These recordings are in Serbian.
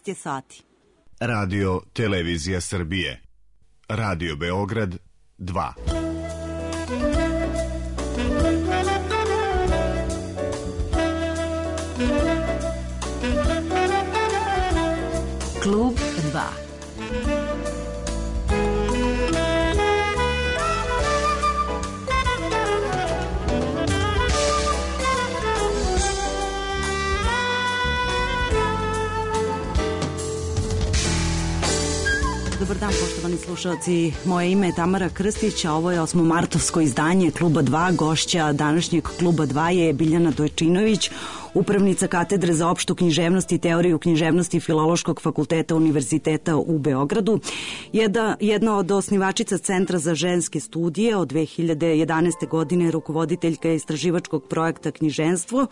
je sati. Radio Televizija Srbije. Radio Beograd 2. Klub 2. Dobar dan, poštovani slušalci. Moje ime je Tamara Krstić, a ovo je 8. izdanje Kluba 2. Gošća današnjeg Kluba 2 je Biljana Dojčinović, upravnica katedre za opštu književnost i teoriju književnosti Filološkog fakulteta Univerziteta u Beogradu. Jedna od osnivačica Centra za ženske studije, od 2011. godine rukovoditeljka istraživačkog projekta Knjiženstvo,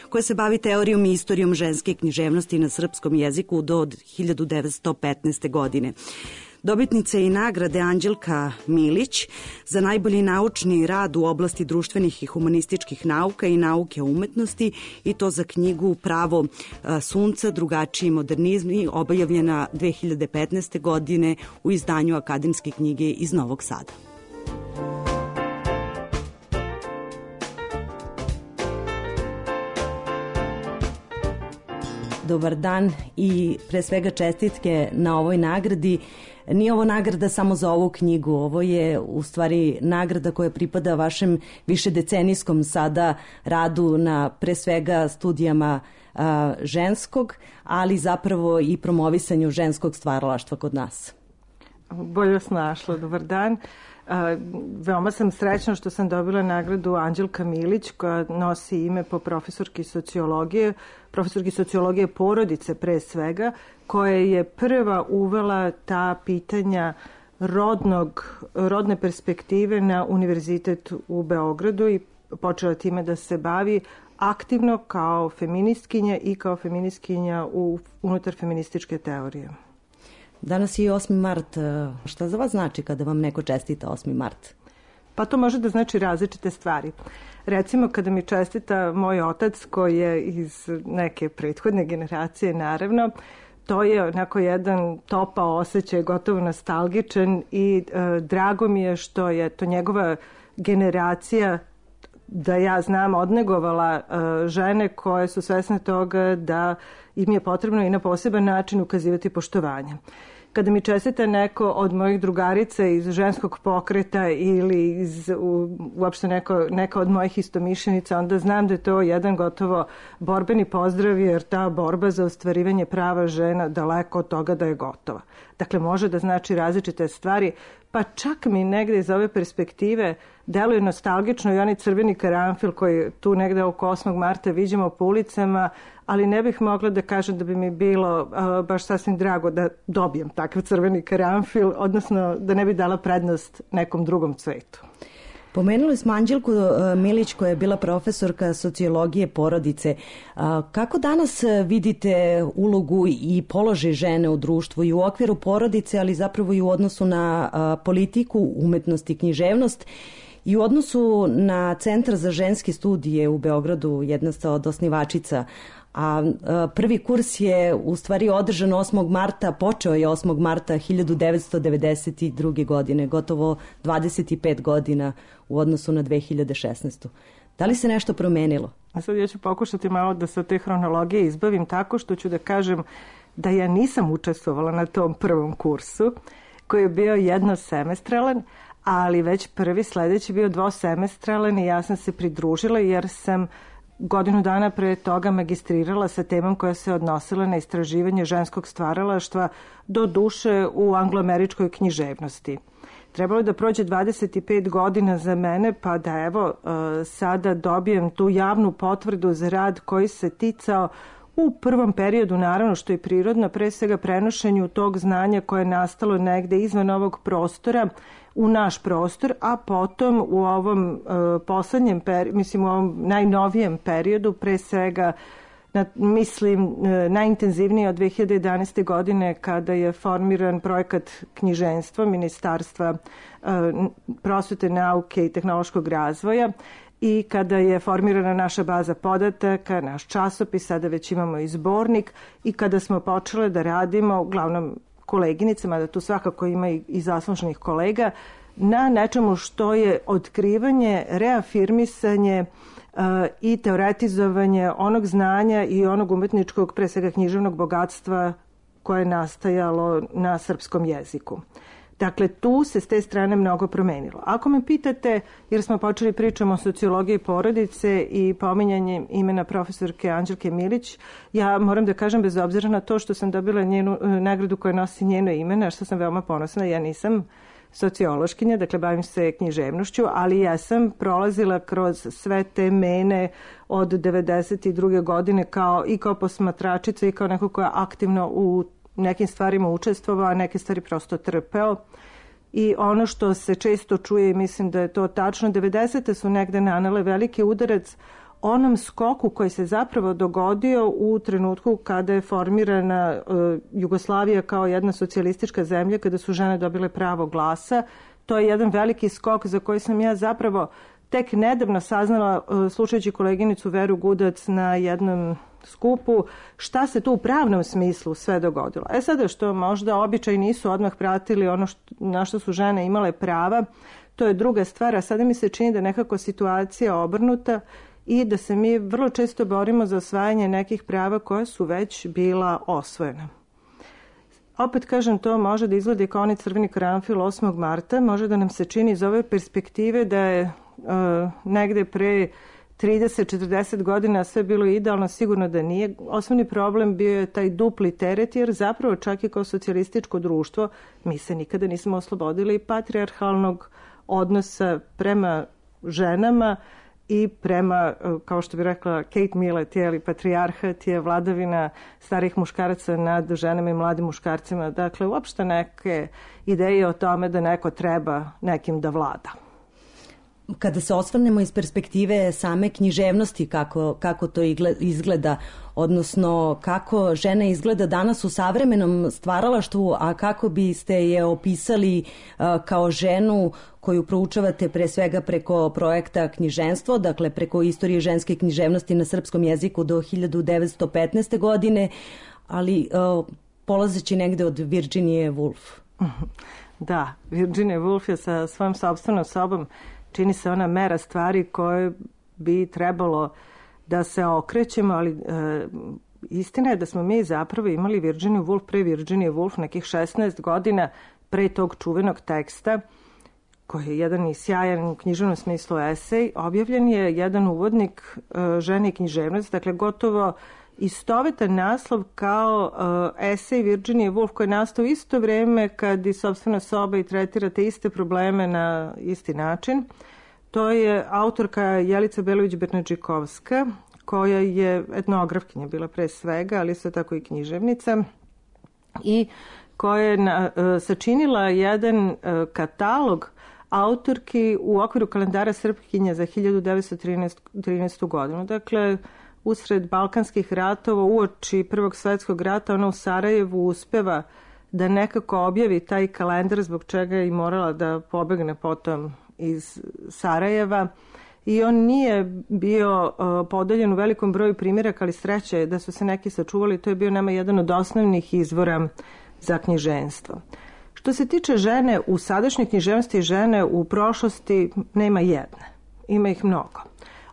koje se bavi teorijom i istorijom ženske književnosti na srpskom jeziku do 1915. godine. Dobitnica je i nagrade Anđelka Milić za najbolji naučni rad u oblasti društvenih i humanističkih nauka i nauke o umetnosti, i to za knjigu Pravo sunca, drugačiji modernizmi, objavljena 2015. godine u izdanju Akademske knjige iz Novog Sada. Dobar dan i pre svega čestitke na ovoj nagradi. Nije ovo nagrada samo za ovu knjigu, ovo je u stvari nagrada koja pripada vašem višedecenijskom sada radu na pre svega studijama ženskog, ali zapravo i promovisanju ženskog stvaralaštva kod nas. Bolje vas našla, dobar dan. Veoma sam srećna što sam dobila nagradu Anđelka Milić, koja nosi ime po profesorki sociologije porodice pre svega, koja je prva uvela ta pitanja rodne perspektive na Univerzitet u Beogradu i počela time da se bavi aktivno kao feministkinja i kao feministkinja unutar feminističke teorije. Danas je 8. mart. Šta za vas znači kada vam neko čestita 8. mart? Pa to može da znači različite stvari. Recimo, kada mi čestita moj otac, koji je iz neke prethodne generacije, naravno, to je onako jedan topao osjećaj, gotovo nostalgičan, i drago mi je što je to njegova generacija, da ja znam, odnegovala žene koje su svesne toga da im je potrebno i na poseban način ukazivati poštovanje. Kada mi čestita neko od mojih drugarica iz ženskog pokreta ili uopšte neka od mojih istomišljenica, onda znam da je to jedan gotovo borbeni pozdrav, jer ta borba za ostvarivanje prava žena daleko od toga da je gotova. Dakle, može da znači različite stvari, pa čak mi negde iz ove perspektive deluje nostalgično i onaj crveni karanfil koji tu negde oko 8. marta viđamo po ulicama, ali ne bih mogla da kažem da bi mi bilo baš sasvim drago da dobijem takav crveni karanfil, odnosno da ne bi dala prednost nekom drugom cvetu. Pomenuli smo Anđelku Milić, koja je bila profesorka sociologije porodice. Kako danas vidite ulogu i položaj žene u društvu i u okviru porodice, ali zapravo i u odnosu na politiku, umetnost i književnost, i u odnosu na Centar za ženske studije u Beogradu, jedna ste od osnivačica, a prvi kurs je u stvari održan 8. marta, počeo je 8. marta 1992. godine, gotovo 25 godina u odnosu na 2016. Da li se nešto promenilo? A sad ja ću pokušati malo da se od te hronologije izbavim tako što ću da kažem da ja nisam učestvovala na tom prvom kursu, koji je bio jednosemestralan, ali već prvi sledeći bio dvosemestralan i ja sam se pridružila jer sam godinu dana pre toga magistrirala sa temom koja se odnosila na istraživanje ženskog stvaralaštva, do duše u angloameričkoj književnosti. Trebalo je da prođe 25 godina za mene, pa da evo sada dobijem tu javnu potvrdu za rad koji se ticao u prvom periodu, naravno što je prirodno, pre svega prenošenju tog znanja koje je nastalo negde izvan ovog prostora u naš prostor, a potom u ovom poslednjem u ovom najnovijem periodu, pre svega najintenzivnije od 2011. godine kada je formiran projekat knjiženstva Ministarstva prosvete, nauke i tehnološkog razvoja i kada je formirana naša baza podataka, naš časopis, sada već imamo i zbornik, i kada smo počele da radimo, uglavnom koleginicama, da tu svakako ima i zasluženih kolega, na nečemu što je otkrivanje, reafirmisanje i teoretizovanje onog znanja i onog umetničkog, pre svega književnog bogatstva koje je nastajalo na srpskom jeziku. Dakle, tu se s te strane mnogo promenilo. Ako me pitate, jer smo počeli pričamo o sociologiji porodice i pominjanjem imena profesorke Anđelke Milić, ja moram da kažem, bez obzira na to što sam dobila njenu nagradu koja nosi njeno ime, na što sam veoma ponosna, ja nisam sociološkinja, dakle bavim se književnošću, ali ja sam prolazila kroz sve te mene od 92. godine kao posmatračica i kao neko koja je aktivno u nekim stvarima učestvovao, a neke stvari prosto trpeo. I ono što se često čuje, i mislim da je to tačno, 90. su negde nanele veliki udarac onom skoku koji se zapravo dogodio u trenutku kada je formirana Jugoslavija kao jedna socijalistička zemlja, kada su žene dobile pravo glasa. To je jedan veliki skok za koji sam ja zapravo tek nedavno saznala, slušajući koleginicu Veru Gudac na jednom skupu, šta se tu u pravnom smislu sve dogodilo. Sada što možda običaji nisu odmah pratili ono na što su žene imale prava, to je druga stvar, a sada mi se čini da nekako situacija obrnuta i da se mi vrlo često borimo za osvajanje nekih prava koja su već bila osvojena. Opet kažem, to može da izgleda kao onaj crveni karanfil 8. marta, može da nam se čini iz ove perspektive da je negde pre 30-40 godina sve bilo idealno, sigurno da nije. Osnovni problem bio je taj dupli teret, jer zapravo čak i kao socijalističko društvo mi se nikada nismo oslobodili patrijarhalnog odnosa prema ženama i prema, kao što bi rekla Kate Millett, patrijarhat je vladavina starih muškaraca nad ženama i mladim muškarcima. Dakle, uopšte neke ideje o tome da neko treba nekim da vlada. Kada se osvrnemo iz perspektive same književnosti, kako to izgleda, odnosno kako žena izgleda danas u savremenom stvaralaštvu, a kako biste je opisali kao ženu koju proučavate pre svega preko projekta Knjiženstvo, dakle preko istorije ženske književnosti na srpskom jeziku do 1915. godine, ali polazeći negde od Virginije Woolf. Da, Virginia Woolf je sa svojom sopstvenom sobom, čini se, ona mera stvari koje bi trebalo da se okrećemo, ali istina je da smo mi zapravo imali Virginiju Woolf pre Virginije Woolf nekih 16 godina pre tog čuvenog teksta, koji je jedan i sjajan u književnom smislu esej. Objavljen je jedan uvodnik žene i književnosti, dakle gotovo istovetan naslov kao esej Virginije Woolf, koji je nastao isto vreme kad i sopstvena soba i tretirate iste probleme na isti način. To je autorka Jelica Belović-Bernadžikovska, koja je etnografkinja bila pre svega, ali isto tako i književnica, i koja je sačinila jedan katalog autorki u okviru kalendara Srpkinja za 1913. godinu. Dakle, usred Balkanskih ratova, uoči Prvog svetskog rata, ona u Sarajevu uspeva da nekako objavi taj kalendar, zbog čega je i morala da pobegne potom iz Sarajeva. I on nije bio podeljen u velikom broju primjeraka, ali sreće je da su se neki sačuvali. To je bio nama jedan od osnovnih izvora za književstvo. Što se tiče žene u sadašnjoj književnosti i žene u prošlosti, nema jedne. Ima ih mnogo.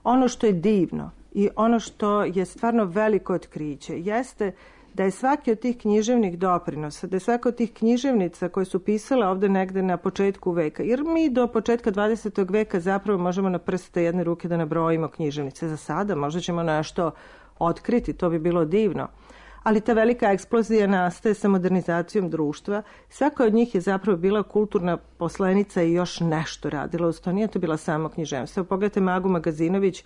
Ono što je divno i ono što je stvarno veliko otkriće jeste da je svaki od tih književnih doprinosa, da je svaka od tih književnica koje su pisale ovde negde na početku veka, jer mi do početka 20. veka zapravo možemo na prste jedne ruke da nabrojimo književnice. Za sada možda ćemo nešto otkriti, to bi bilo divno. Ali ta velika eksplozija nastaje sa modernizacijom društva. Svaka od njih je zapravo bila kulturna poslenica i još nešto radila. Uz to nije to bila samo književnost. Pogledajte Magu Magazinović,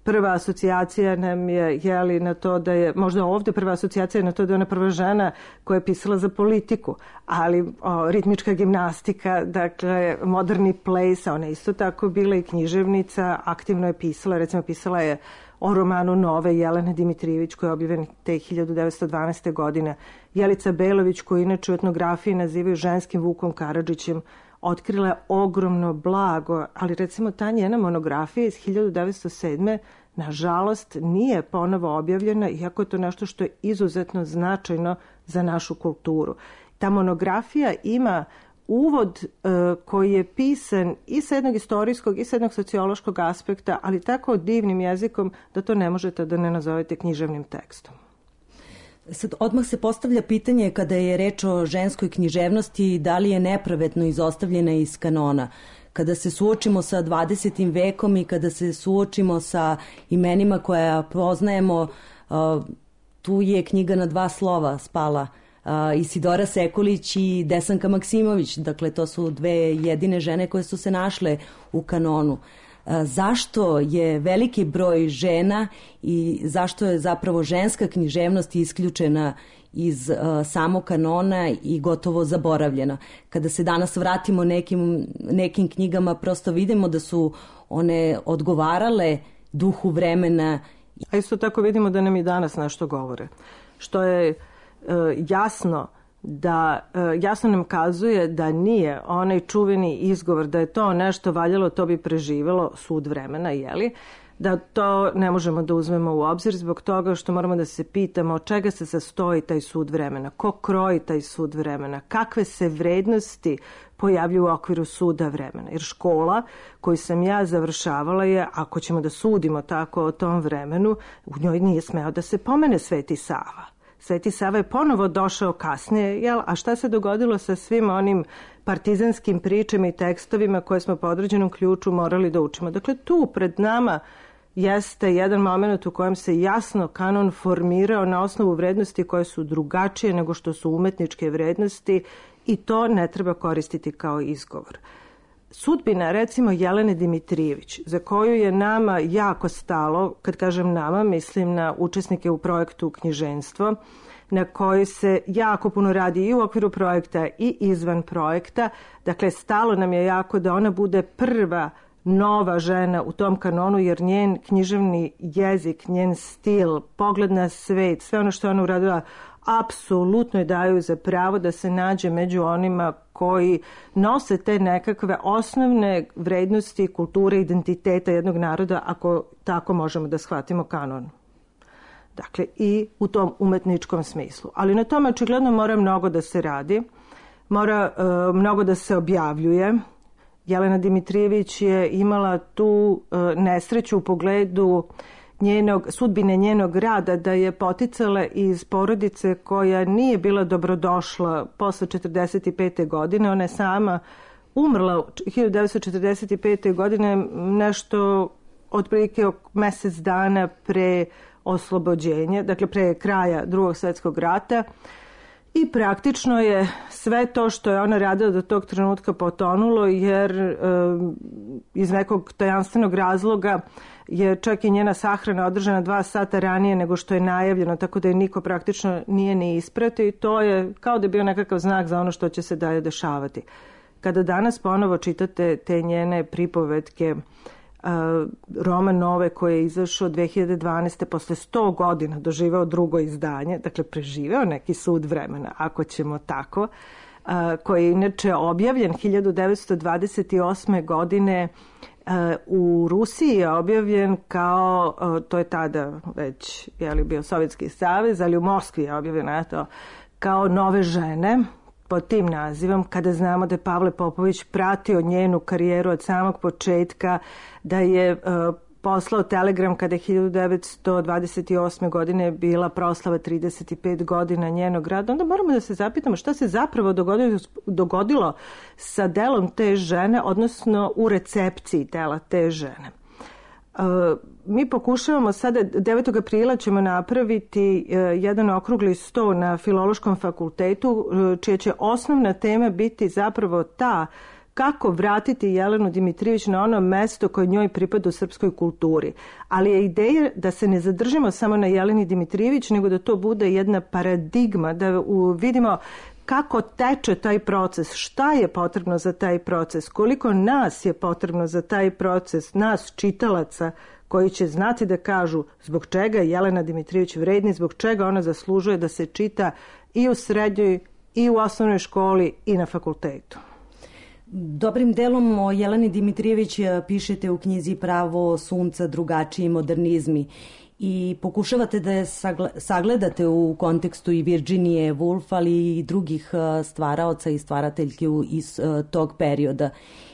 prva asocijacija nam je na to da je, možda ovde prva asocijacija je na to da je ona prva žena koja je pisala za politiku, ali ritmička gimnastika, dakle moderni ples, ona isto tako bila i književnica, aktivno je pisala, recimo pisala je o romanu Nove Jelene Dimitrijević koji je objavljen te 1912. godine. Jelica Belović, koju inače u etnografiji nazivaju ženskim Vukom Karadžićem, otkrila je ogromno blago, ali recimo ta njena monografija iz 1907. nažalost nije ponovo objavljena, iako je to nešto što je izuzetno značajno za našu kulturu. Ta monografija ima uvod koji je pisan i sa jednog istorijskog i sa jednog sociološkog aspekta, ali tako divnim jezikom da to ne možete da ne nazovete književnim tekstom. Sad, odmah se postavlja pitanje kada je reč o ženskoj književnosti, da li je nepravedno izostavljena iz kanona. Kada se suočimo sa 20. vekom i kada se suočimo sa imenima koja poznajemo, tu je knjiga na 2 slova spala, Isidora Sekulić i Desanka Maksimović. Dakle, to su 2 jedine žene koje su se našle u kanonu. Zašto je veliki broj žena i zašto je zapravo ženska književnost isključena iz samog kanona i gotovo zaboravljena? Kada se danas vratimo nekim knjigama, prosto vidimo da su one odgovarale duhu vremena. A isto tako vidimo da nam i danas nešto govore. Što je jasno nam kazuje da nije onaj čuveni izgovor da je to nešto valjalo, to bi preživelo sud vremena, jeli? Da to ne možemo da uzmemo u obzir zbog toga što moramo da se pitamo od čega se sastoji taj sud vremena, ko kroji taj sud vremena, kakve se vrednosti pojavljuju u okviru suda vremena. Jer škola koju sam ja završavala je, ako ćemo da sudimo tako o tom vremenu, u njoj nije smeo da se pomene Sveti Sava. Sveti Sava je ponovo došao kasnije, jel? A šta se dogodilo sa svim onim partizanskim pričama i tekstovima koje smo po određenom ključu morali da učimo? Dakle, tu pred nama jeste jedan moment u kojem se jasno kanon formirao na osnovu vrednosti koje su drugačije nego što su umetničke vrednosti i to ne treba koristiti kao izgovor. Sudbina, recimo, Jelene Dimitrijević, za koju je nama jako stalo, kad kažem nama, mislim na učesnike u projektu Knjiženstvo, na kojoj se jako puno radi i u okviru projekta i izvan projekta. Dakle, stalo nam je jako da ona bude prva nova žena u tom kanonu, jer njen književni jezik, njen stil, pogled na svet, sve ono što je ona uradila, apsolutno je daju za pravo da se nađe među onima koji nose te nekakve osnovne vrednosti, kulture, identiteta jednog naroda, ako tako možemo da shvatimo kanon. Dakle, i u tom umetničkom smislu. Ali na tome očigledno mora mnogo da se radi, mora mnogo da se objavljuje. Jelena Dimitrijević je imala tu nesreću u pogledu sudbine njenog rada, da je poticala iz porodice koja nije bila dobrodošla posle 1945. godine. Ona je sama umrla 1945. godine, nešto otprilike mesec dana pre oslobođenja, dakle pre kraja Drugog svjetskog rata. I praktično je sve to što je ona radila do tog trenutka potonulo, jer iz nekog tajanstvenog razloga je čak i njena sahrana održana 2 sata ranije nego što je najavljeno, tako da je niko praktično nije ni ispratio i to je kao da je bio nekakav znak za ono što će se dalje dešavati. Kada danas ponovo čitate te njene pripovetke, roman Nove koji je izašao 2012. posle 100 godina doživeo drugo izdanje, dakle preživeo neki sud vremena, ako ćemo tako, koji je inače objavljen 1928. godine u Rusiji je objavljen kao, to je tada već bio Sovjetski savez, ali u Moskvi je objavljeno kao Nove žene, pod tim nazivom, kada znamo da je Pavle Popović pratio njenu karijeru od samog početka, da je poslao telegram kada je 1928. godine bila proslava 35 godina njenog rada, onda moramo da se zapitamo šta se zapravo dogodilo sa delom te žene, odnosno u recepciji dela te žene. Mi pokušavamo sada, 9. aprila ćemo napraviti jedan okrugli sto na Filološkom fakultetu, čija će osnovna tema biti zapravo ta kako vratiti Jelenu Dimitrijević na ono mesto koje njoj pripada u srpskoj kulturi. Ali je ideja da se ne zadržimo samo na Jeleni Dimitrijević, nego da to bude jedna paradigma, da vidimo kako teče taj proces, šta je potrebno za taj proces, koliko nas je potrebno za taj proces, nas čitalaca koji će znati da kažu zbog čega je Jelena Dimitrijević vredna, zbog čega ona zaslužuje da se čita i u srednjoj i u osnovnoj školi i na fakultetu. Dobrim delom o Jeleni Dimitrijević pišete u knjizi Pravo sunca, drugačiji modernizmi i pokušavate da je sagledate u kontekstu i Virginije Woolf, ali i drugih stvaraoca i stvarateljki iz tog perioda.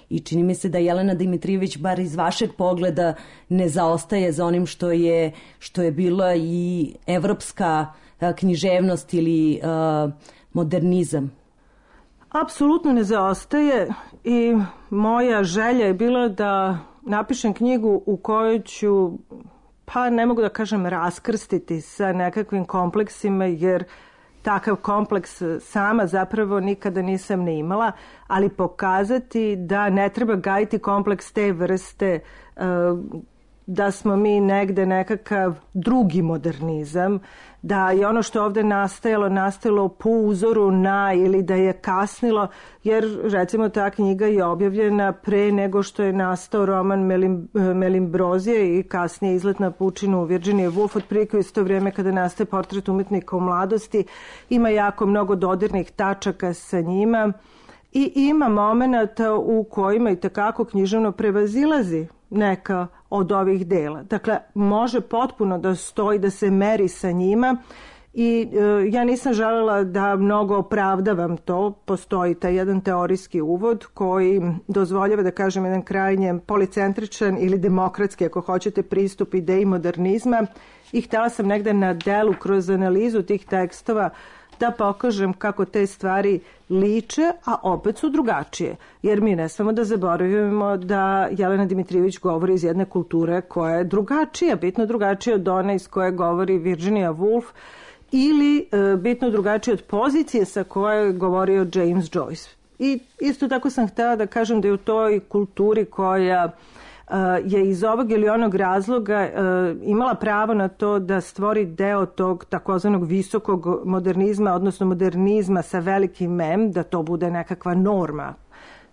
I čini mi se da Jelena Dimitrijević, bar iz vašeg pogleda, ne zaostaje za onim što je bila i evropska književnost ili modernizam. Apsolutno ne zaostaje i moja želja je bila da napišem knjigu u kojoj ću, pa ne mogu da kažem raskrstiti sa nekakvim kompleksima, jer takav kompleks sama zapravo nikada nisam ne imala, ali pokazati da ne treba gajiti kompleks te vrste, da smo mi negde nekakav drugi modernizam, da je ono što je ovde nastajalo po uzoru na ili da je kasnilo, jer recimo ta knjiga je objavljena pre nego što je nastao roman Melimbrozije i kasnije Izlet na pučinu Virginije Woolf, otprilike u isto vrijeme kada nastaje Portret umetnika u mladosti. Ima jako mnogo dodirnih tačaka sa njima i ima momenata u kojima i takako književno prevazilazi neka od ovih dela. Dakle, može potpuno da stoji, da se meri sa njima i ja nisam želela da mnogo opravdavam to. Postoji taj jedan teorijski uvod koji dozvoljava, da kažem, jedan krajnje policentričan ili demokratski, ako hoćete, pristup ideji modernizma i htjela sam negde na delu kroz analizu tih tekstova da pokažem kako te stvari liče, a opet su drugačije. Jer mi ne smemo da zaboravimo da Jelena Dimitrijević govori iz jedne kulture koja je drugačija, bitno drugačija od one iz koje govori Virginia Woolf ili bitno drugačija od pozicije sa koje je govorio James Joyce. I isto tako sam htjela da kažem da je u toj kulturi koja je iz ovog ili onog razloga imala pravo na to da stvori deo tog takozvanog visokog modernizma, odnosno modernizma sa velikim M, da to bude nekakva norma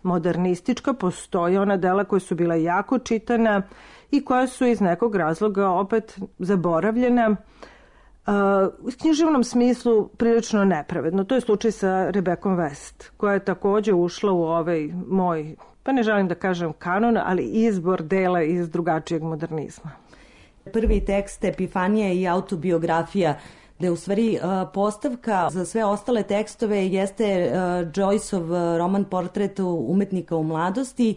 modernistička. Postoje ona dela koja su bila jako čitana i koja su iz nekog razloga opet zaboravljena. U književnom smislu prilično nepravedno. To je slučaj sa Rebekom West, koja je također ušla u ovaj moj, pa ne želim da kažem kanon, ali izbor dela iz drugačijeg modernizma. Prvi tekst Epifanija i autobiografija, da je u stvari postavka za sve ostale tekstove jeste Joyceov roman Portret umetnika u mladosti,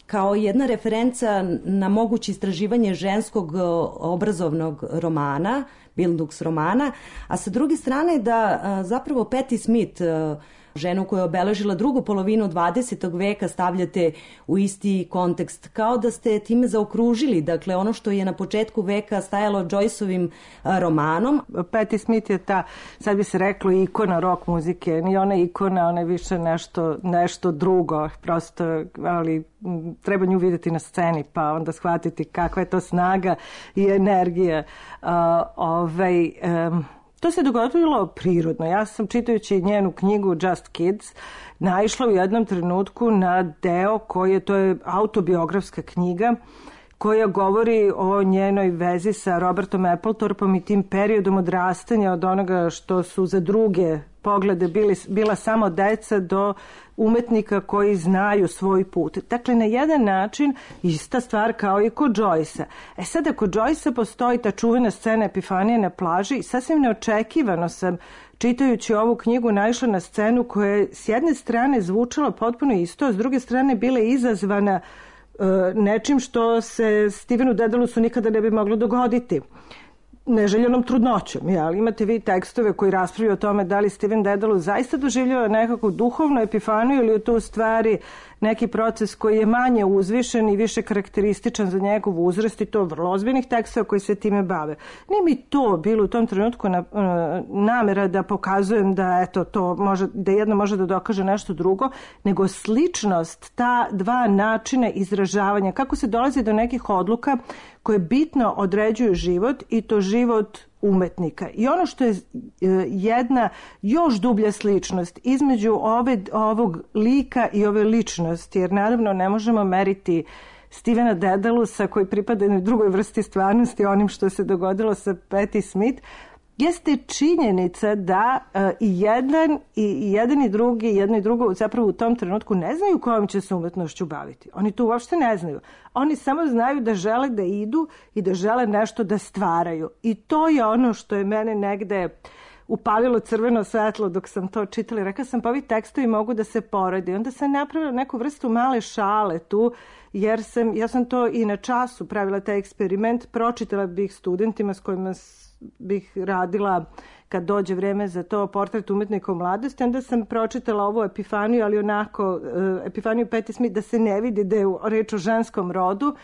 kao jedna referenca na moguće istraživanje ženskog obrazovnog romana, Bildungsromana, a sa druge strane da zapravo Patti Smith, ženu koja je obeležila drugu polovinu 20. veka, stavljate u isti kontekst, kao da ste time zaokružili, dakle ono što je na početku veka stajalo Joyceovim romanom. Patti Smith je ta, sad bi se reklo, ikona rock muzike, nije ona ikona, ona je više nešto drugo, prosto, ali treba nju vidjeti na sceni pa onda shvatiti kakva je to snaga i energija. To se dogodilo prirodno. Ja sam, čitajući njenu knjigu Just Kids, naišla u jednom trenutku na deo to je autobiografska knjiga koja govori o njenoj vezi sa Robertom Appletorpom i tim periodom odrastanja od onoga što su za druge poglede bila samo deca do umetnika koji znaju svoj put. Dakle, na jedan način ista stvar kao i kod Joycea. Sada kod Joycea postoji ta čuvena scena Epifanije na plaži i sasvim neočekivano sam, čitajući ovu knjigu, naišla na scenu koja je s jedne strane zvučala potpuno isto, a s druge strane bila izazvana nečim što se Stevenu Dedalusu nikada ne bi moglo dogoditi. Neželjenom trudnoćom. Imate vi tekstove koji raspravljaju o tome da li Steven Dedalus zaista doživljava nekakvu duhovnu epifaniju ili je to u stvari neki proces koji je manje uzvišen i više karakterističan za njegov uzrast i to vrlo ozbiljnih tekstova koji se time bave. Nije mi to bilo u tom trenutku namera da pokazujem da to može, da jedno može da dokaže nešto drugo, nego sličnost ta dva načina izražavanja, kako se dolazi do nekih odluka koje bitno određuju život i to život umetnika. I ono što je jedna još dublja sličnost između ovog lika i ove ličnosti, jer naravno ne možemo meriti Stevena Dedalusa, koji pripada jednoj drugoj vrsti stvarnosti, onim što se dogodilo sa Patti Smith, jeste činjenica da i jedan i drugi, jedno i drugo zapravo u tom trenutku ne znaju kojom će se umetnošću baviti. Oni to uopšte ne znaju. Oni samo znaju da žele da idu i da žele nešto da stvaraju. I to je ono što je mene negde upalilo crveno svetlo dok sam to čitala. Rekla sam, pa ovi tekstovi mogu da se poredi. Onda sam napravila neku vrstu male šale tu, jer ja sam to i na času pravila taj eksperiment. Pročitala bih studentima s kojima bih radila kad dođe vreme za to, portret umetnika u mladosti. Onda sam pročitala ovu epifaniju, ali onako epifaniju Patti Smith, da se ne vidi da je reč o ženskom rodu.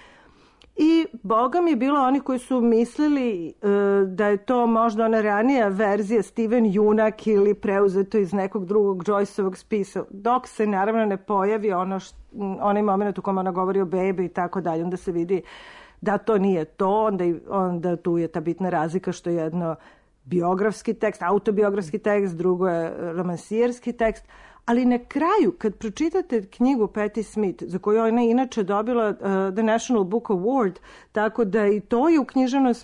I Boga mi je bilo oni koji su mislili da je to možda ona ranija verzija Steven Junak ili preuzeto iz nekog drugog Joyceovog spisa, dok se naravno ne pojavi onaj moment u kojem ona govori o bebi i tako dalje. Onda se vidi da to nije to, onda tu je ta bitna razlika što je jedno biografski tekst, autobiografski tekst, drugo je romansijerski tekst. Ali na kraju, kad pročitate knjigu Patti Smith, za koju ona inače dobila The National Book Award, tako da i to je u književnom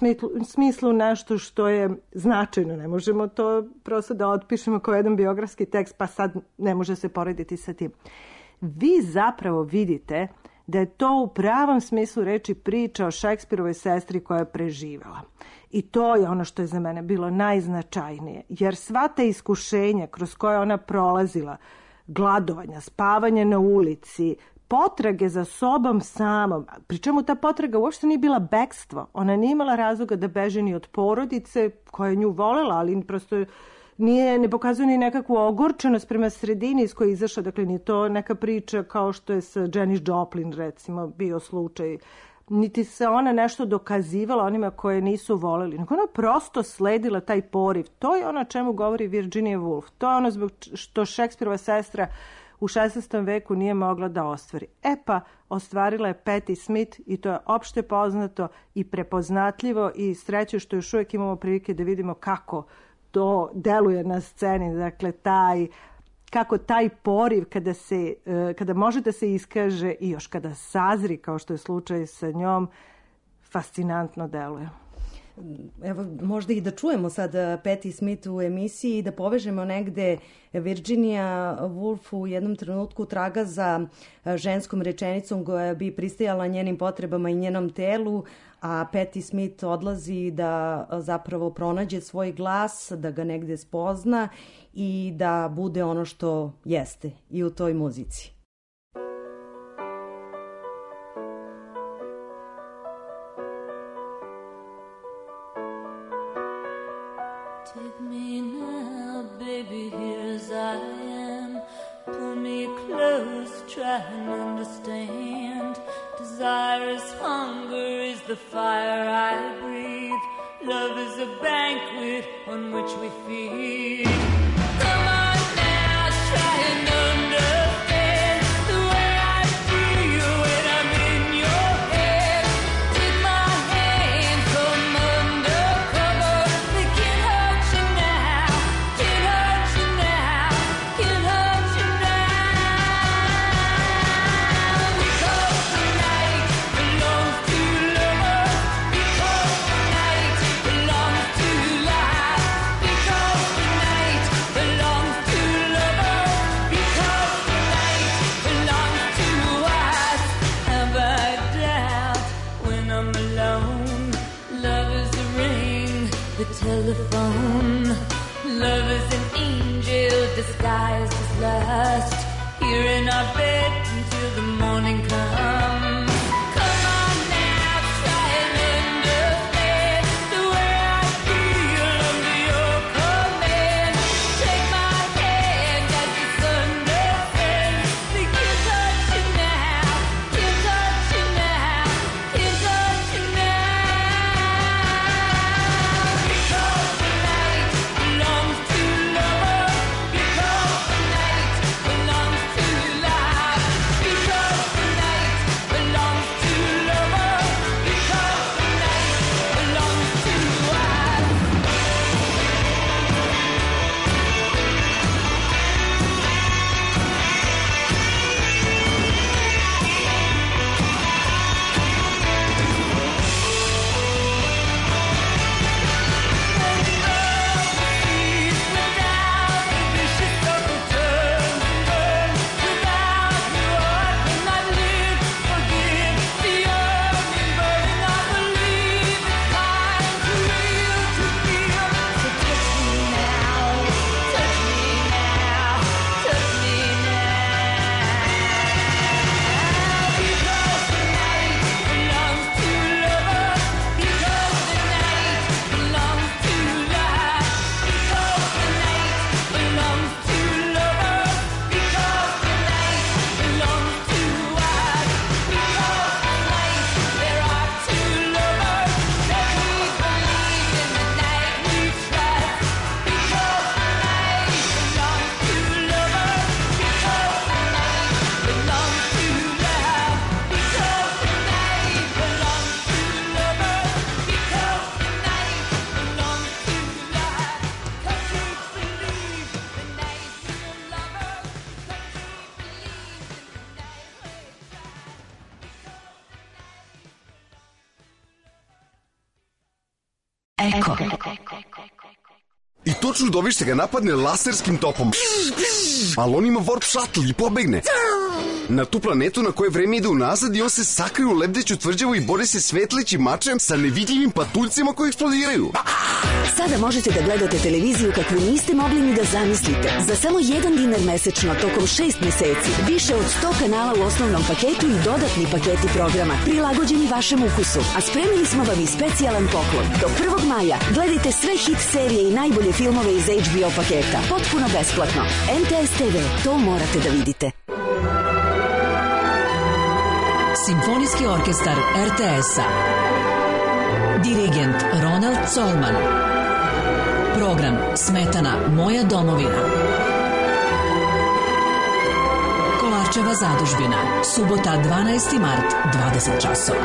smislu nešto što je značajno. Ne možemo to prosto da otpišemo kao jedan biografski tekst, pa sad ne može se porediti sa tim. Vi zapravo vidite da je to u pravom smislu reči priča o Šekspirovoj sestri koja je preživela. I to je ono što je za mene bilo najznačajnije, jer sva ta iskušenja kroz koje ona prolazila, gladovanja, spavanje na ulici, potrage za sobom samom, pri čemu ta potraga uopšte nije bila bekstvo. Ona nije imala razloga da beže ni od porodice koja je nju volela, ali prosto ne pokazuje ni nekakvu ogorčenost prema sredini iz koje je izašla. Dakle, nije to neka priča kao što je sa Janis Joplin, recimo, bio slučaj. Niti se ona nešto dokazivala onima koje nisu voleli, nego ona prosto sledila taj poriv. To je ono o čemu govori Virginia Woolf. To je ono zbog što Šekspirova sestra u 16. veku nije mogla da ostvari. E pa, ostvarila je Patti Smith i to je opšte poznato i prepoznatljivo i sreće što još uvijek imamo prilike da vidimo kako to deluje na sceni. Dakle, kako taj poriv kada može da se iskaže i još kada sazri, kao što je slučaj sa njom, fascinantno deluje. Evo, možda i da čujemo sad Patti Smith u emisiji i da povežemo negde. Virginia Woolf u jednom trenutku traga za ženskom rečenicom koja bi pristajala njenim potrebama i njenom telu, a Patti Smith odlazi da zapravo pronađe svoj glas, da ga negde spozna i da bude ono što jeste i u toj muzici. Take me now, baby, here as I am. Pull me close, try and understand. Desirous hunger is the fire I breathe. Love is a banquet on which we feed. Come on now, try and understand the way I feel when I'm in your head. Take my hand, come undercover. They can't hurt you now, can't hurt you now, can't hurt you now. Because the night belongs to lovers. Because the night belongs to life. Because the night belongs to lovers. Because the night belongs to us. Have I doubt when I'm alone? Love is the ring, the telephone. Love is an angel disguised as lust. Here in our bed until the morning comes. Come on now, try and understand the way I feel under your command. Take my hand as the sun descends. They can't touch you now, can't touch you now, can't touch you now. Because the night belongs to lovers. Because the night belongs to life. Because the night Eko. I točno dobiš se ga napadne laserskim topom. Ali on ima warp shuttle i pobegne na tu planetu na kojoj vreme ide unazad i on se sakrije u lebdeću tvrđavu i bori se svetlećim mačem sa nevidljivim patuljcima koji eksplodiraju. Sada možete da gledate televiziju kakvu niste mogli ni da zamislite. Za samo $1 mesečno tokom 6 meseci. Više od 100 kanala u osnovnom paketu i dodatni paketi programa prilagođeni vašem ukusu. A spremili smo vam i specijalan poklon. Do 1. maja gledajte sve hit serije i najbolje filmove iz HBO paketa. Potpuno besplatno. MTS TV, to morate da vidite. Simfonijski orkestar RTS-a. Dirigent Ronald Colman. Program Smetana Moja domovina. Kolarčeva zadužbina. Subota 12. mart, 20 časova.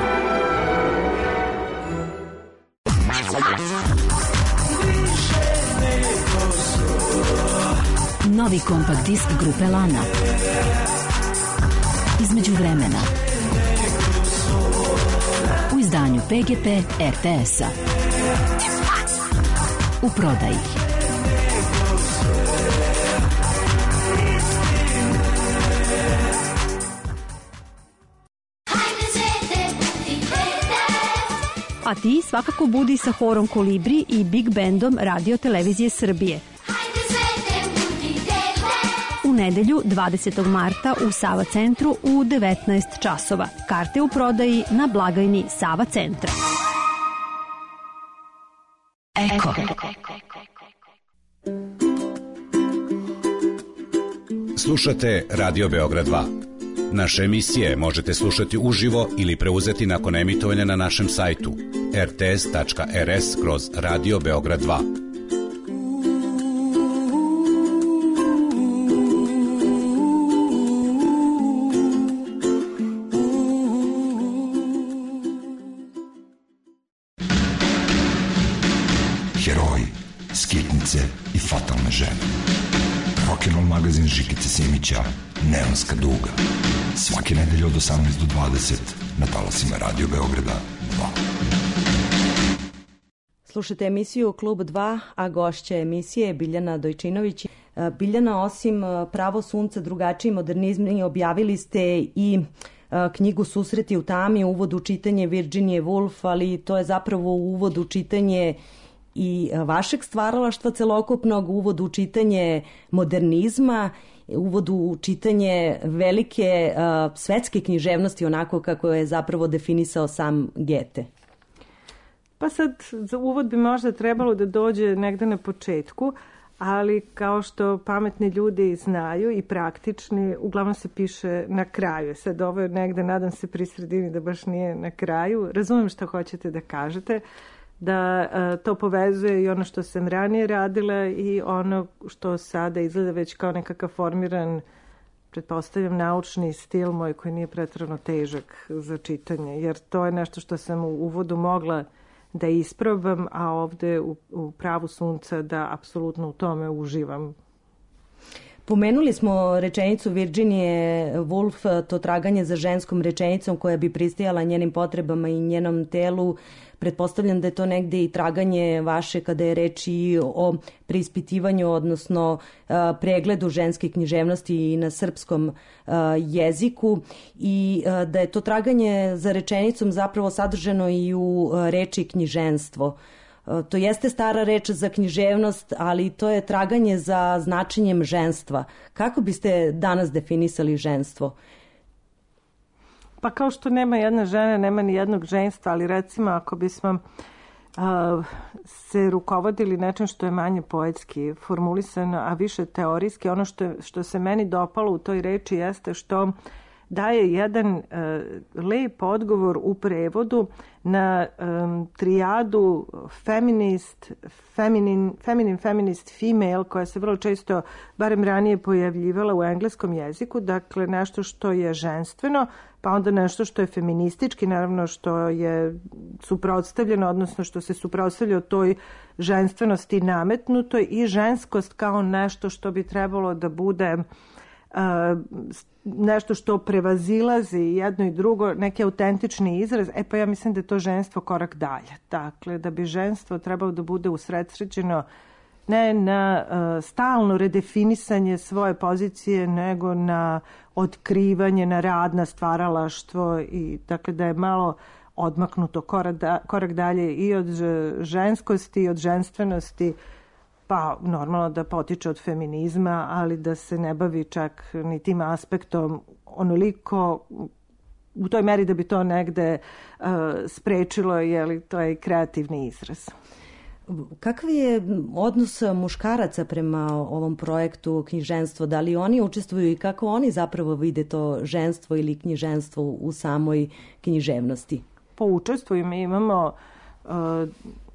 Novi kompakt disk grupe Lana. Između vremena. U izdanju PGP RTS-a. U prodaji. A ti svakako budi sa horom Kolibri i Big Bandom Radio Televizije Srbije. U nedelju 20. marta u Sava centru u 19 časova. Karte u prodaji na blagajni Sava centra. Eko. Slušate Radio Beograd 2. Naše emisije možete slušati uživo ili preuzeti nakon emitovanja na našem sajtu rts.rs/Radio Beograd 2. Heroji, skitnice i fatalne žene. Rock'n'roll magazin Žikice Simića, Neonska duga. Svake nedelje od 18 do 20 na talasima Radio Beograda 2. Slušajte emisiju Klub 2, a gošća emisije je Biljana Dojčinović. Biljana, osim Pravo sunca, drugačiji modernizmi, objavili ste i knjigu Susreti u tami, uvod u čitanje Virginie Woolf, ali to je zapravo uvod u čitanje i vašeg stvaralaštva celokupnog, uvod u čitanje modernizma, uvod u čitanje velike svetske književnosti, onako kako je zapravo definisao sam Goethe. Pa sad, za uvod bi možda trebalo da dođe negde na početku, ali kao što pametni ljudi znaju i praktični, uglavnom se piše na kraju. Sad ovo je negde, nadam se, pri sredini da baš nije na kraju. Razumem što hoćete da kažete, da to povezuje i ono što sam ranije radila i ono što sada izgleda već kao nekakav formiran, pretpostavljam, naučni stil moj koji nije preterano težak za čitanje, jer to je nešto što sam u uvodu mogla da isprobam, a ovde u Pravu sunca da apsolutno u tome uživam. Pomenuli smo rečenicu Virginie Woolf, to traganje za ženskom rečenicom koja bi pristajala njenim potrebama i njenom telu. Pretpostavljam da je to negde i traganje vaše kada je reč i o preispitivanju, odnosno pregledu ženske književnosti i na srpskom jeziku i da je to traganje za rečenicom zapravo sadržano i u reči knjiženstvo. To jeste stara reč za književnost, ali to je traganje za značenjem ženstva. Kako biste danas definisali ženstvo? Pa kao što nema jedna žena, nema ni jednog ženstva, ali recimo ako bismo se rukovodili nečem što je manje poetski formulisano, a više teorijski, ono što se meni dopalo u toj reči jeste što daje jedan lep odgovor u prevodu na trijadu feminist, female, koja se vrlo često, barem ranije, pojavljivala u engleskom jeziku. Dakle, nešto što je ženstveno, pa onda nešto što je feministički, naravno što je suprotstavljeno, odnosno što se suprotstavlja toj ženstvenosti nametnutoj, i ženskost kao nešto što bi trebalo da bude nešto što prevazilazi jedno i drugo, neki autentični izraz, pa ja mislim da je to ženstvo korak dalje. Dakle, da bi ženstvo trebalo da bude usredsređeno ne na stalno redefinisanje svoje pozicije, nego na otkrivanje, na rad, na stvaralaštvo i dakle da je malo odmaknuto korak dalje i od ženskosti i od ženstvenosti, pa normalno da potiče od feminizma, ali da se ne bavi čak ni tim aspektom onoliko u toj meri da bi to negde sprečilo, jer to je kreativni izraz. Kakav je odnos muškaraca prema ovom projektu knjiženstvo? Da li oni učestvuju i kako oni zapravo vide to ženstvo ili knjiženstvo u samoj književnosti? Po učestvuju mi imamo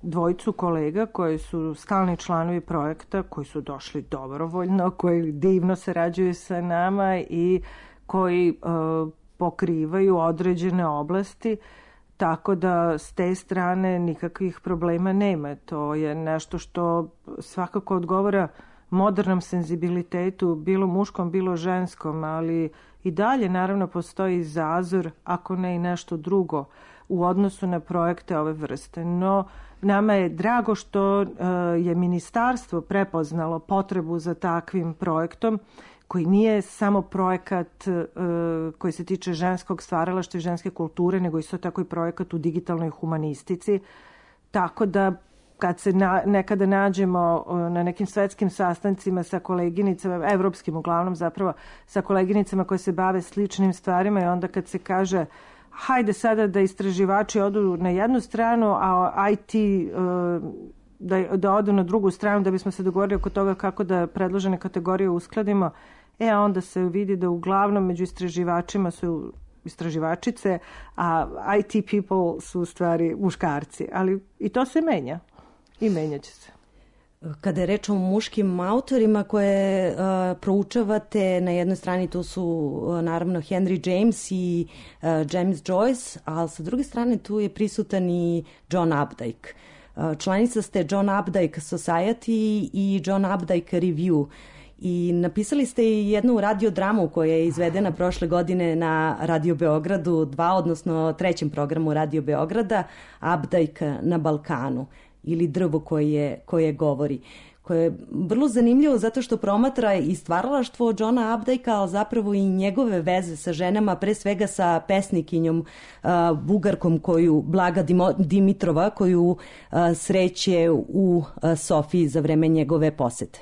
dvojicu kolega koji su stalni članovi projekta, koji su došli dobrovoljno, koji divno sarađuju sa nama i koji pokrivaju određene oblasti, tako da s te strane nikakvih problema nema. To je nešto što svakako odgovara modernom senzibilitetu, bilo muškom, bilo ženskom, ali i dalje naravno postoji zazor, ako ne i nešto drugo, u odnosu na projekte ove vrste. No, nama je drago što je ministarstvo prepoznalo potrebu za takvim projektom, koji nije samo projekat koji se tiče ženskog stvaralaštva i ženske kulture, nego isto tako i projekat u digitalnoj humanistici. Tako da kad se nekada nađemo na nekim svetskim sastancima sa koleginicama, evropskim uglavnom zapravo, sa koleginicama koje se bave sličnim stvarima i onda kad se kaže hajde sada da istraživači odu na jednu stranu, a IT da odu na drugu stranu da bismo se dogovorili oko toga kako da predložene kategorije uskladimo, a onda se vidi da uglavnom među istraživačima su istraživačice, a IT people su u stvari muškarci. Ali i to se menja i menjat će se. Kada je reč o muškim autorima koje proučavate, na jednoj strani tu su naravno Henry James i James Joyce, a sa druge strane tu je prisutan i John Updike. Članica ste John Updike Society i John Updike Review. I napisali ste i jednu radiodramu koja je izvedena prošle godine na Radio Beogradu 2, odnosno 3. programu Radio Beograda, Updike na Balkanu ili Drvo koje govori. Koje je vrlo zanimljivo zato što promatra i stvaralaštvo Johna Updikea, ali zapravo i njegove veze sa ženama, pre svega sa pesnikinjom Bugarkom Blaga Dimitrova, koju sreće u Sofiji za vreme njegove posete.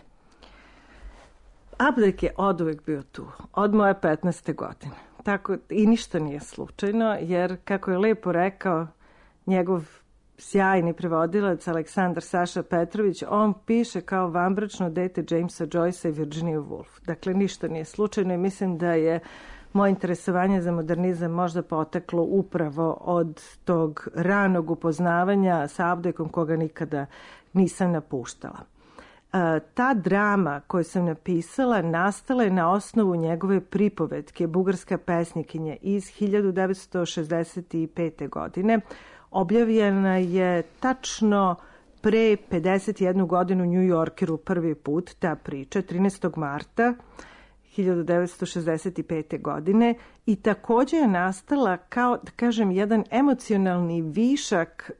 Updike je oduvek bio tu, od moje 15. godine. Tako, i ništa nije slučajno, jer kako je lepo rekao njegov sjajni prevodilac Aleksandar Saša Petrović, on piše kao vanbračno dete Jamesa Joycea i Virginia Woolf. Dakle, ništa nije slučajno i mislim da je moje interesovanje za modernizam možda poteklo upravo od tog ranog upoznavanja sa Updikeom koga nikada nisam napuštala. Ta drama koju sam napisala nastala je na osnovu njegove pripovetke Bugarska pesnikinja iz 1965. godine. Objavljena je tačno pre 51 godinu u New Yorkeru prvi put ta priča, 13. marta 1965. godine i također je nastala kao, da kažem, jedan emocionalni višak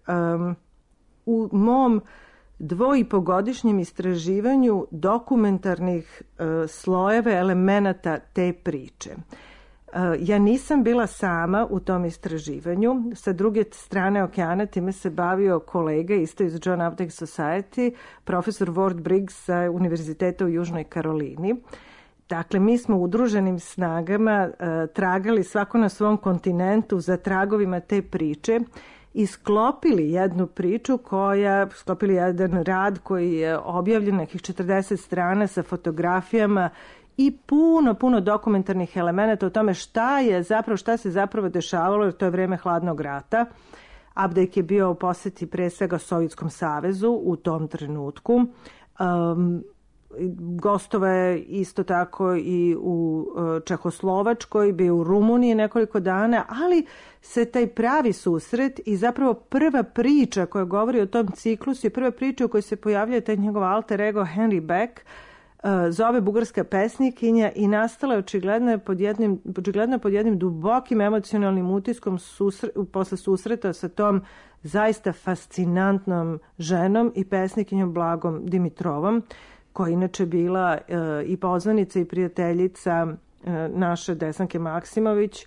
u mom 2,5-godišnjem istraživanju dokumentarnih slojeva elemenata te priče. Ja nisam bila sama u tom istraživanju. Sa druge strane okeana time se bavio kolega isto iz John Updike Society, profesor Ward Briggs sa Univerziteta u Južnoj Karolini. Dakle, mi smo udruženim snagama tragali svako na svom kontinentu za tragovima te priče i sklopili jednu priču sklopili jedan rad koji je objavljen nekih 40 strana sa fotografijama i puno dokumentarnih elemenata o tome šta se zapravo dešavalo, jer to je vreme hladnog rata. Updike je bio u poseti pre svega Sovjetskom savezu u tom trenutku. Gostova je isto tako i u Čehoslovačkoj, bio u Rumuniji nekoliko dana, ali se taj pravi susret i zapravo prva priča koja govori o tom ciklusu i prva priča u kojoj se pojavljuje taj njegov alter ego Henry Beck zove bugarska pesnikinja i nastala je očigledno pod jednim dubokim emocionalnim utiskom posle susreta sa tom zaista fascinantnom ženom i pesnikinjom Blagom Dimitrovom, koja inače bila i poznanica i prijateljica naše Desanke Maksimović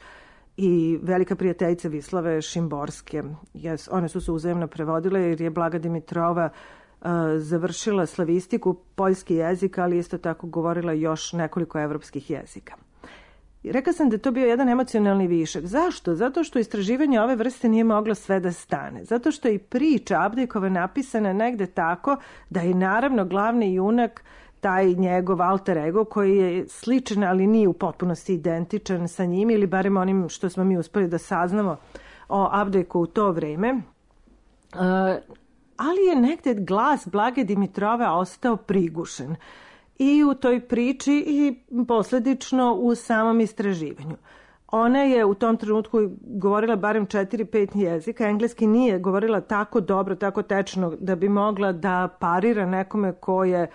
i velika prijateljica Vislave Šimborske. One su se uzajemno prevodile jer je Blaga Dimitrova završila slavistiku, poljski jezik, ali isto tako govorila još nekoliko evropskih jezika. Rekla sam da je to bio jedan emocionalni višak. Zašto? Zato što istraživanje ove vrste nije moglo sve da stane. Zato što je i priča Abdejkova napisana negde tako da je naravno glavni junak taj njegov alter ego koji je sličan, ali nije u potpunosti identičan sa njim, ili barem onim što smo mi uspeli da saznamo o Abdejku u to vreme. Ali je negde glas Blage Dimitrove ostao prigušen i u toj priči i posledično u samom istraživanju. Ona je u tom trenutku govorila barem 4-5 jezika. Engleski nije govorila tako dobro, tako tečno da bi mogla da parira nekome ko je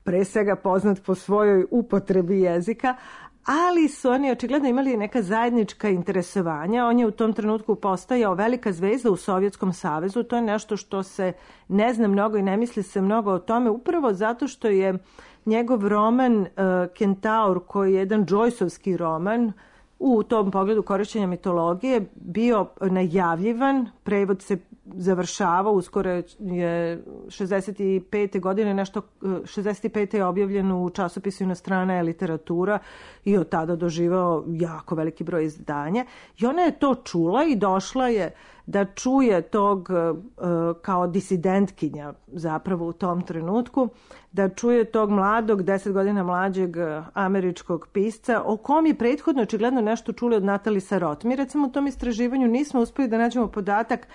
pre svega poznat po svojoj upotrebi jezika, ali su oni očigledno imali neka zajednička interesovanja. On je u tom trenutku postajao velika zvezda u Sovjetskom savezu. To je nešto što se ne zna mnogo i ne misli se mnogo o tome, upravo zato što je njegov roman Kentaur, koji je jedan Joyceovski roman, u tom pogledu korišćenja mitologije, bio najavljivan, prevod se završava, uskoro je 65. godine, nešto 65. je objavljen u časopisu Inostrana je literatura i od tada doživao jako veliki broj izdanja. I ona je to čula i došla je da čuje tog kao disidentkinja zapravo u tom trenutku, da čuje tog mladog, 10 godina mlađeg američkog pisca, o kom je prethodno očigledno nešto čuli od Natalie Sarot. Mi recimo u tom istraživanju nismo uspeli da nađemo podatak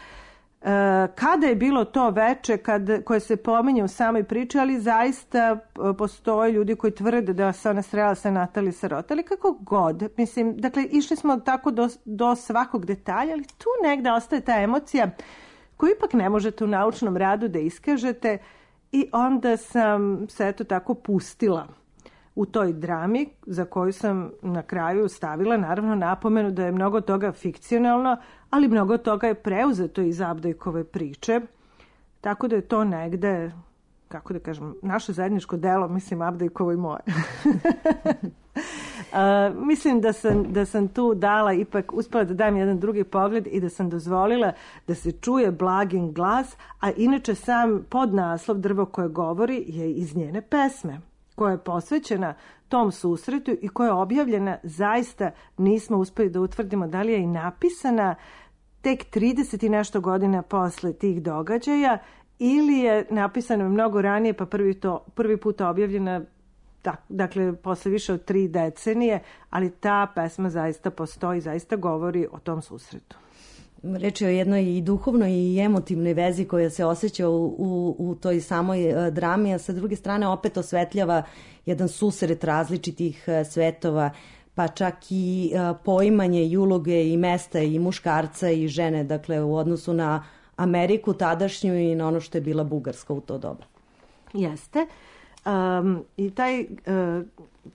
kada je bilo to veče koje se pominje u samoj priči, ali zaista postoje ljudi koji tvrde da se ona srela sa Natalie Sarot, ali kako god, mislim, dakle, išli smo tako do svakog detalja, ali tu negde ostaje ta emocija koju ipak ne možete u naučnom radu da iskažete i onda sam se eto tako pustila u toj drami za koju sam na kraju stavila naravno napomenu da je mnogo toga fikcionalno, ali mnogo toga je preuzeto iz Abdejkove priče, tako da je to negde, kako da kažem, naše zajedničko delo, mislim Abdejkovo i moje. Mislim da sam tu dala, ipak uspela da dam jedan drugi pogled i da sam dozvolila da se čuje Blagin glas, a inače sam podnaslov Drvo koje govori je iz njene pesme, koja je posvećena tom susretu i koja je objavljena, zaista nismo uspeli da utvrdimo da li je i napisana tek 30 i nešto godina posle tih događaja ili je napisana mnogo ranije pa prvi put objavljena, dakle posle više od 3 decenije, ali ta pesma zaista postoji, zaista govori o tom susretu. Reč je o jednoj i duhovnoj i emotivnoj vezi koja se osjeća u toj samoj drami, a sa druge strane opet osvetljava jedan susret različitih svetova, pa čak i poimanje i uloge i mesta i muškarca i žene, dakle u odnosu na Ameriku tadašnju i na ono što je bila Bugarska u to doba. Jeste. I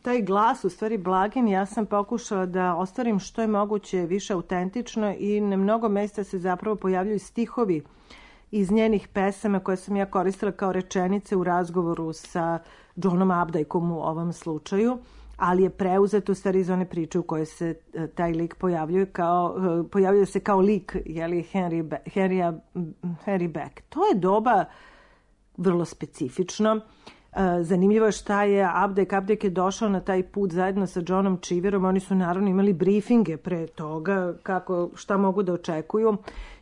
taj glas, u stvari Blagin, ja sam pokušala da ostvarim što je moguće više autentično i na mnogo mesta se zapravo pojavljuju stihovi iz njenih pesama koje sam ja koristila kao rečenice u razgovoru sa Johnom Abdejkom u ovom slučaju, ali je preuzet u stvari iz one priče u kojoj se taj lik pojavljuje se kao lik, jeli, Henry Beck. To je doba vrlo specifično. Zanimljivo je šta je Abdejk je došao na taj put zajedno sa Johnom Cheeverom. Oni su naravno imali briefinge pre toga šta mogu da očekuju.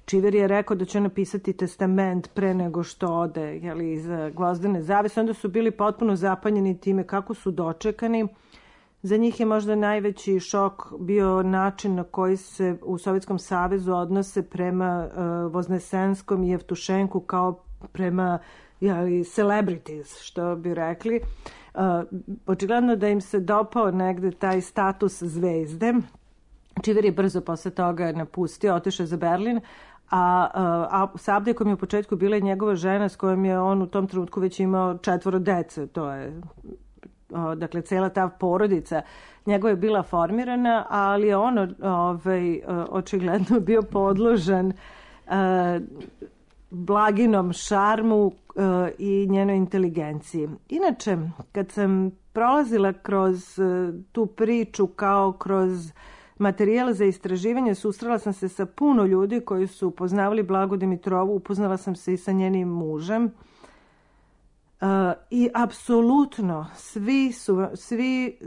Cheever je rekao da će napisati testament pre nego što ode iza gvozdene zavese. Onda su bili potpuno zapanjeni time kako su dočekani. Za njih je možda najveći šok bio način na koji se u Sovjetskom savezu odnose prema Voznesenskom i Jevtušenku kao prema celebrities, što bi rekli. Očigledno da im se dopao negde taj status zvezde. Cheever je brzo posle toga napustio, otišao za Berlin, a sa Abdejkom je u početku bila njegova žena s kojom je on u tom trenutku već imao 4 dece. To je dakle cela ta porodica njegova je bila formirana, ali je on očigledno bio podložan Blaginom šarmu i njenoj inteligenciji. Inače, kad sam prolazila kroz tu priču kao kroz materijal za istraživanje, susrela sam se sa puno ljudi koji su upoznavali Blagu Dimitrovu, upoznala sam se i sa njenim mužem. I apsolutno svi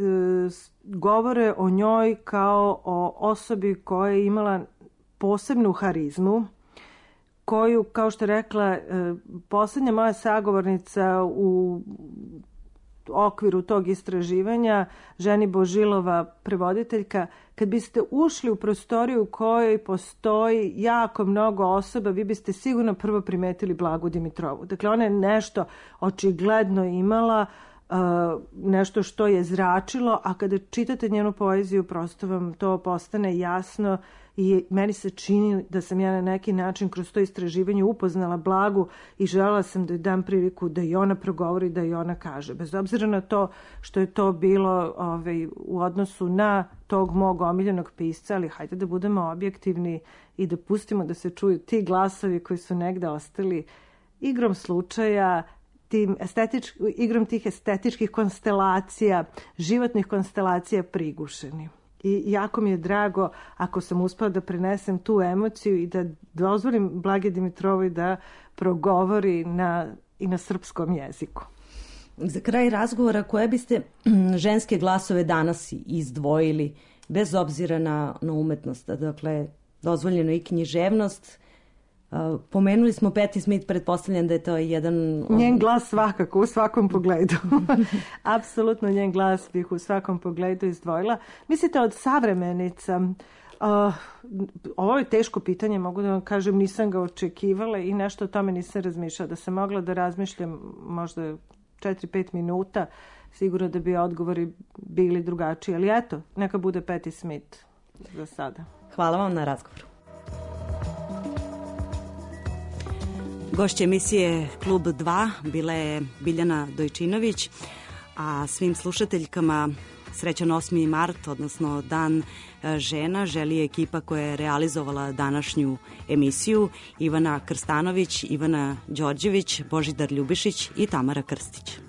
govore o njoj kao o osobi koja je imala posebnu harizmu, koju, kao što je rekla poslednja moja sagovornica u okviru tog istraživanja, Ženi Božilova, prevoditeljka, kad biste ušli u prostoriju u kojoj postoji jako mnogo osoba, vi biste sigurno prvo primetili Blagu Dimitrovu. Dakle, ona je nešto očigledno imala, nešto što je zračilo, a kada čitate njenu poeziju, prosto vam to postane jasno i meni se čini da sam ja na neki način kroz to istraživanje upoznala Blagu i želela sam da joj dam priliku da i ona progovori, da i ona kaže. Bez obzira na to što je to bilo u odnosu na tog mog omiljenog pisca, ali hajde da budemo objektivni i da pustimo da se čuju ti glasovi koji su negde ostali igrom slučaja, igrom tih estetičkih konstelacija, životnih konstelacija prigušeni. I jako mi je drago ako sam uspela da prenesem tu emociju i da dozvolim Blagi Dimitrovoj da progovori i na srpskom jeziku. Za kraj razgovora, koje biste ženske glasove danas izdvojili, bez obzira na umetnost? Dakle, dozvoljeno i književnost. Pomenuli smo Patti Smith, pretpostavljam da je to jedan... Njen glas svakako, u svakom pogledu. Apsolutno njen glas bih u svakom pogledu izdvojila. Mislite, od savremenica, ovo je teško pitanje, mogu da vam kažem, nisam ga očekivala i nešto o tome nisam razmišljala. Da sam mogla da razmišljam možda 4-5 minuta, sigurno da bi odgovori bili drugačiji. Ali eto, neka bude Patti Smith za sada. Hvala vam na razgovoru. Gošća emisije Klub 2 bila je Biljana Dojčinović, a svim slušateljkama srećan 8. mart, odnosno Dan žena, želi ekipa koja je realizovala današnju emisiju: Ivana Krstanović, Ivana Đorđević, Božidar Ljubišić i Tamara Krstić.